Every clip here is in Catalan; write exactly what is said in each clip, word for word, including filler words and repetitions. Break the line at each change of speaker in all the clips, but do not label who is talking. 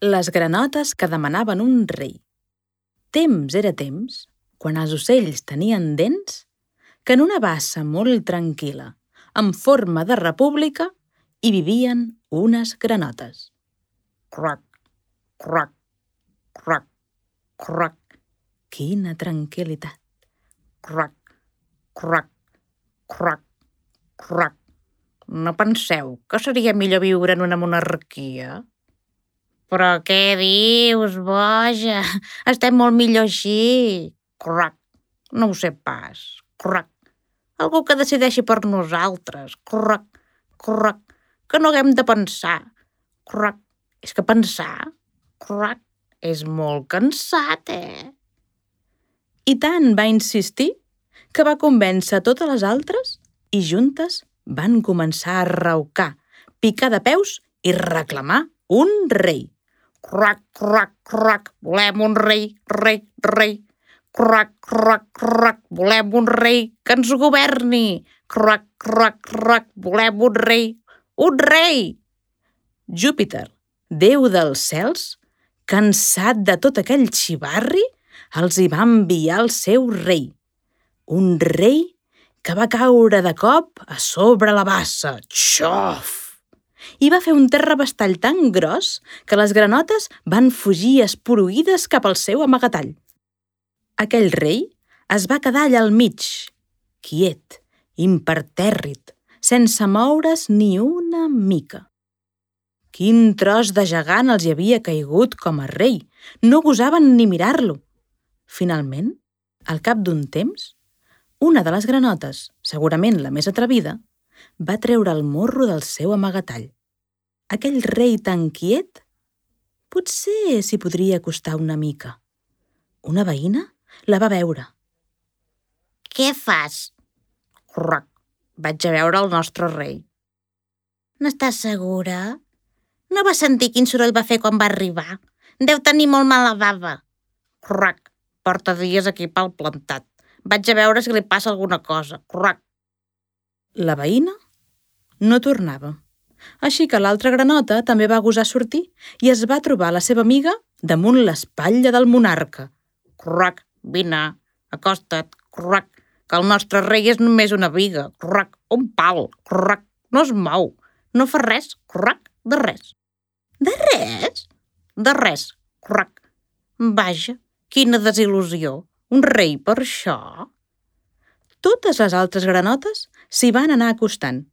Les granotes que demanaven un rei. Temps era temps, quan els ocells tenien dents, que en una bassa molt tranquil·la, en forma de república, hi vivien unes granotes. Croc, croc, croc, croc. Quina tranquil·litat. Croc, croc, croc, croc. No penseu que seria millor viure en una monarquia? Però què dius, boja? Estem molt millor així. Croc, no ho sé pas. Croc, algú que decideixi per nosaltres. Croc, croc, que no haguem de pensar. Croc, és que pensar, croc, és molt cansat, eh? I tant va insistir que va convèncer totes les altres i juntes van començar a raucar, picar de peus i reclamar un rei. Croc, croc, croc, volem un rei, rei, rei. Croc, croc, croc, volem un rei que ens governi. Croc, croc, croc, volem un rei, un rei. Júpiter, déu dels cels, cansat de tot aquell xivarri, els hi va enviar el seu rei. Un rei que va caure de cop a sobre la bassa. Xof! I va fer un terrabastall tan gros que les granotes van fugir esporuïdes cap al seu amagatall. Aquell rei es va quedar allà al mig, quiet, impertèrrit, sense moure's ni una mica. Quin tros de gegant els hi havia caigut com a rei! No gosaven ni mirar-lo. Finalment, al cap d'un temps, una de les granotes, segurament la més atrevida, va treure el morro del seu amagatall. Aquell rei tan quiet, potser s'hi podria acostar una mica. Una veïna la va veure. Què fas? Croc, vaig a veure el nostre rei. N'estàs segura? No vas sentir quin soroll va fer quan va arribar? Deu tenir molt mala bava. Croc, porta dies aquí pel plantat. Vaig a veure si li passa alguna cosa. Croc. La veïna no tornava. Així que l'altra granota també va gosar sortir i es va trobar la seva amiga damunt l'espatlla del monarca. Croc, vine, acosta't, croc, que el nostre rei és només una viga, croc, un pal, croc, no es mou, no fa res, croc, de res. De res? De res, croc. Vaja, quina desil·lusió, un rei per això. Totes les altres granotes s'hi van anar acostant.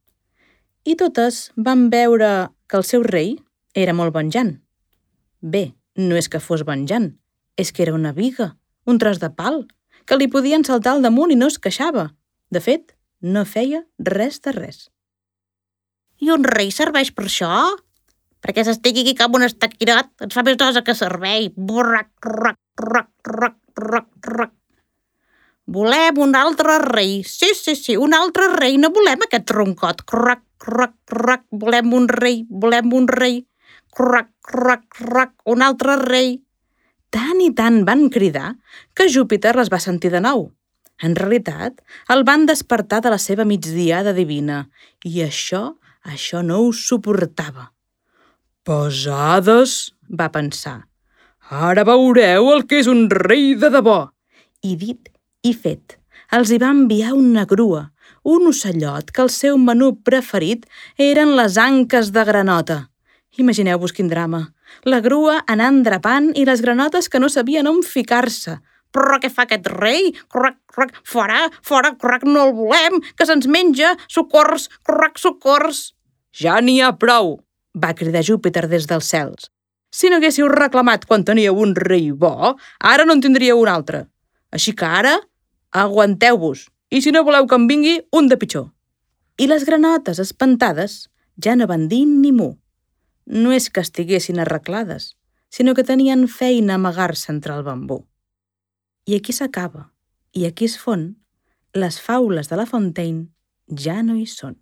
I totes van veure que el seu rei era molt venjant. Bé, no és que fos venjant, és que era una viga, un tros de pal, que li podien saltar al damunt i no es queixava. De fet, no feia res de res. I un rei serveix per això? Perquè s'estigui aquí com un estaquirot, ens fa més nosa que servei. Borrac, roc, roc, roc, roc, roc. Volem un altre rei. Sí, sí, sí, un altre rei. No volem aquest troncot. Croc, croc, croc. Volem un rei, volem un rei. Croc, croc, croc. Un altre rei. Tant i tant van cridar que Júpiter les va sentir de nou. En realitat, el van despertar de la seva migdiada divina i això, això no ho suportava. Pesades, va pensar. Ara veureu el que és un rei de debò. I dit i fet, els hi va enviar una grua, un ocellot que el seu menú preferit eren les anques de granota. Imagineu-vos quin drama. La grua anant drapant i les granotes que no sabien on ficar-se. Però què fa aquest rei? Croc, croc, fora, fora, croc, no el volem, que se'ns menja, socors, croc, socors. Ja n'hi ha prou, va cridar Júpiter des dels cels. Si no haguéssiu reclamat quan teníeu un rei bo, ara no en tindríeu un altre. Així que ara, aguanteu-vos, i si no voleu que em vingui, un de pitjor. I les granotes, espantades, ja no van dir ni mu. No és que estiguessin arreglades, sinó que tenien feina a amagar-se entre el bambú. I aquí s'acaba, i aquí es fon, les faules de La Fontaine ja no hi són.